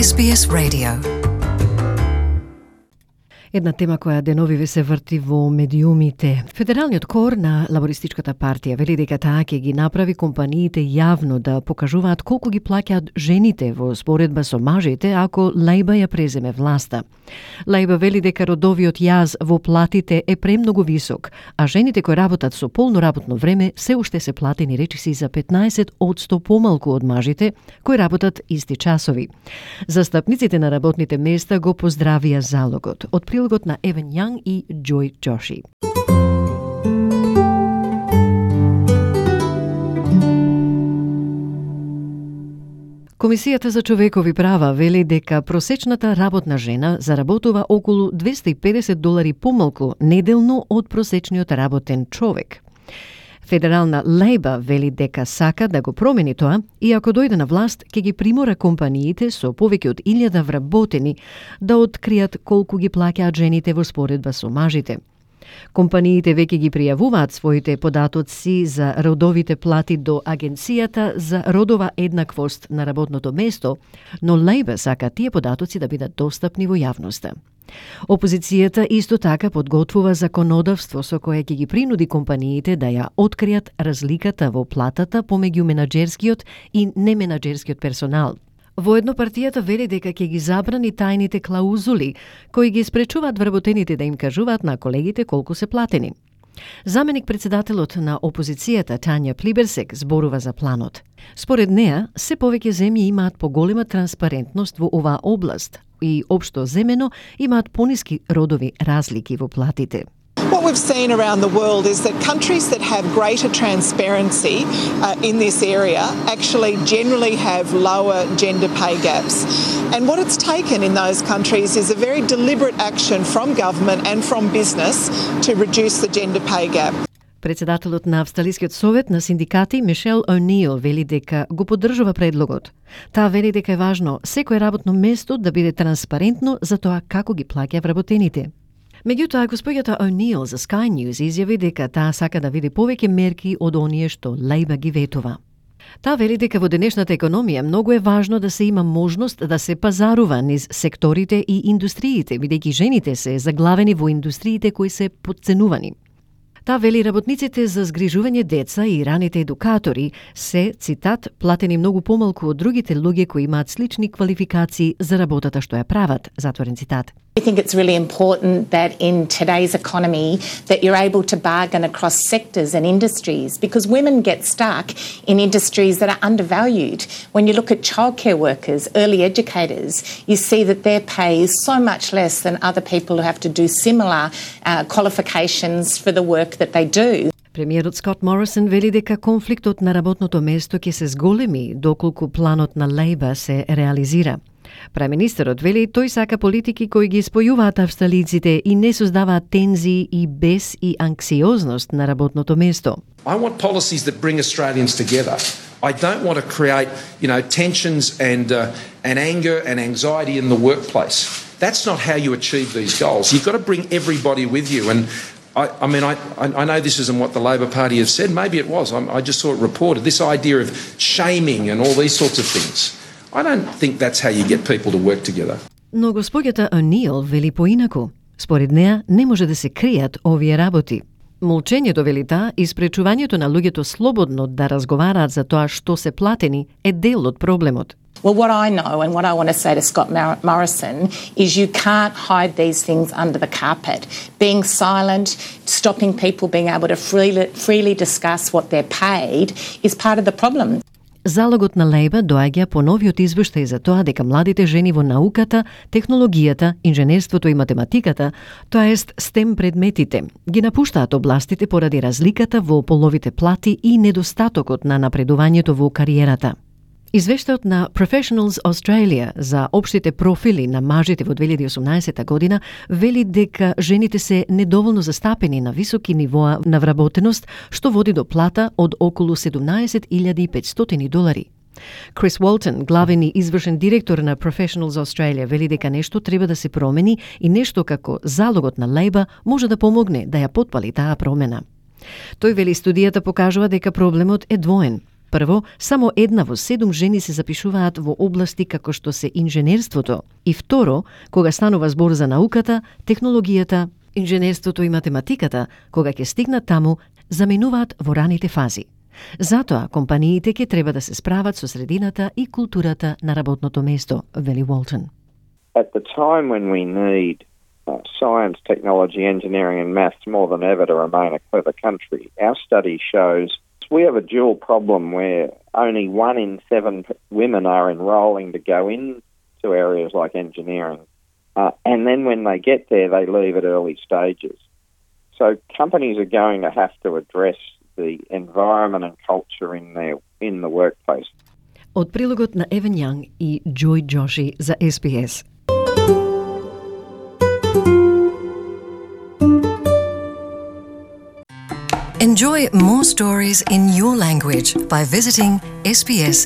SBS Radio. Една тема која деновиве се врти во медиумите. Федералниот кор на Лабористичката партија вели дека таа ќе ги направи компаниите јавно да покажуваат колку ги плаќаат жените во споредба со мажите ако Лејба ја преземе власта. Лејба вели дека родовиот јаз во платите е премногу висок, а жените кои работат со полно работно време се уште се платени речиси за 15% помалку од мажите кои работат исти часови. Застапниците на работните места го поздравија залогот. Од прилогот на Евен Јанг и Џој Џоши. Комисијата за човекови права вели дека просечната работна жена заработува околу $250 помалку неделно од просечниот работен човек. Федерална Лејба вели дека сака да го промени тоа и ако дојде на власт, ќе ги примора компаниите со повеќе од 1000 вработени да откријат колку ги плаќаат жените во споредба со мажите. Компаниите веќе ги пријавуваат своите податоци за родовите плати до Агенцијата за родова еднаквост на работното место, но Лејба сака тие податоци да бидат достапни во јавноста. Опозицијата исто така подготвува законодавство со кое ќе ги принуди компаниите да ја откријат разликата во платата помеѓу менаџерскиот и неменаџерскиот персонал. Воедно партијата вели дека ќе ги забрани тајните клаузули кои ги спречуваат вработените да им кажуваат на колегите колку се платени. Заменик председателот на опозицијата Тања Плиберсек зборува за планот. Според неа, се повеќе земји имаат поголема транспарентност во оваа област и општо земено имаат пониски родови разлики во платите. What we've seen around the world is that countries that have greater transparency in this area actually generally have lower gender pay gaps. And what it's taken in those countries is a very deliberate action from government and from business to reduce the gender pay gap. Председателот на Австралискиот совет на синдикати Мишел О'Нил вели дека го поддржува предлогот. Таа вели дека е важно секое работно место да биде транспарентно за тоа како ги плаќа вработените. Меѓутоа, госпоѓата О'Нил за Sky News изјави дека таа сака да види повеќе мерки од оние што Лејба ги ветува. Таа вели дека во денешната економија многу е важно да се има можност да се пазарува низ секторите и индустриите, бидејќи жените се заглавени во индустриите кои се потценувани. Таа вели работниците за згрижување деца и раните едукатори се, цитат, платени многу помалку од другите луѓе кои имаат слични квалификации за работата што ја прават, затворен цитат. I think it's really important that in today's economy that you're able to bargain across sectors and industries because women get stuck in industries that are undervalued. When you look at childcare workers, early educators, you see that their pay is so much less than other people who have to do similar qualifications for the work that they do. Премиерот Скот Морисон вели дека конфликтот на работното место ќе се зголеми доколку планот на Лејба се реализира. Премиерот вели тој сака политики кои ги спојуваат австралиците и не создаваат тензии и бес и анксиозност на работното место. I want policies that bring Australians together. I don't want to create, tensions and anger and anxiety in the workplace. That's not how you achieve these goals. You've got to bring everybody with you. And I know this isn't what the Labor Party has said. Maybe it was. I just saw it reported. This idea of shaming and all these sorts of things. I don't think that's how you get people to work together. Но госпоѓата О'Нил вели поинаку. Според неа не може да се кријат овие работи. Молчењето, вели таа, и спречувањето на луѓето слободно да разговараат за тоа што се платени е дел од проблемот. Well, what I know and what I want to say to Scott Morrison is you can't hide these things under the carpet. Being silent, stopping people being able to freely discuss what they're paid is part of the problem. Залогот на Лејба доаѓа по новиот извештај за тоа дека младите жени во науката, технологијата, инженерството и математиката, тоа ест STEM предметите, ги напуштаат областите поради разликата во половите плати и недостатокот на напредувањето во кариерата. Извештајот на Professionals Australia за општите профили на мажите во 2018 година вели дека жените се недоволно застапени на високи нивоа на вработеност, што води до плата од околу $17,500. Крис Уолтон, главен и извршен директор на Professionals Australia, вели дека нешто треба да се промени и нешто како залогот на Лејба може да помогне да ја потпали таа промена. Тој вели студијата покажува дека проблемот е двоен. Прво, само 1 во 7 жени се запишуваат во области како што се инженерството. И второ, кога станува збор за науката, технологијата, инженерството и математиката, кога ќе стигнат таму, заменуваат во раните фази. Затоа, компаниите ќе треба да се справат со средината и културата на работното место, вели Уолтон. At the time when we need science, technology, engineering and maths more than ever to remain a clever country, our study shows we have a dual problem where only 1 in 7 women are enrolling to go into areas like engineering. And then when they get there, they leave at early stages. So companies are going to have to address the environment and culture in the workplace. Од прилогот на Евен Јанг и Джой Джоши за SBS. Enjoy more stories in your language by visiting sbs.com.au.